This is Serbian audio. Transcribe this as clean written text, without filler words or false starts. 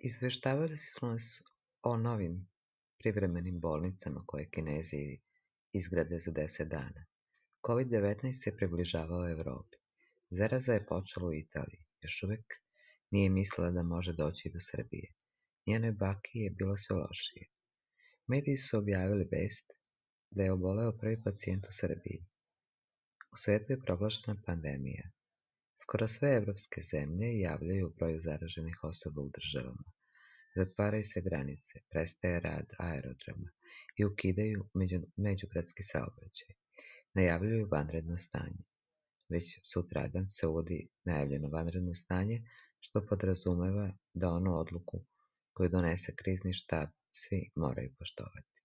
Izveštavali su nas o novim privremenim bolnicama koje Kinezi izgrade za 10 dana. COVID-19 se približavao Evropi. Zaraza je počela u Italiji. Još uvek nije mislila da može doći do Srbije. Njenoj baki je bilo sve lošije. Mediji su objavili vest da je oboleo prvi pacijent u Srbiji. U svetu je proglašena pandemija. Skoro sve evropske zemlje javljaju o broju zaraženih osoba u državama. Zatvaraju se granice, prestaje rad aerodroma i ukidaju međugradski saobraćaj. Najavljuju vanredno stanje. Već sutradan se uvodi najavljeno vanredno stanje, što podrazumeva da onu odluku koju donese krizni štab svi moraju poštovati.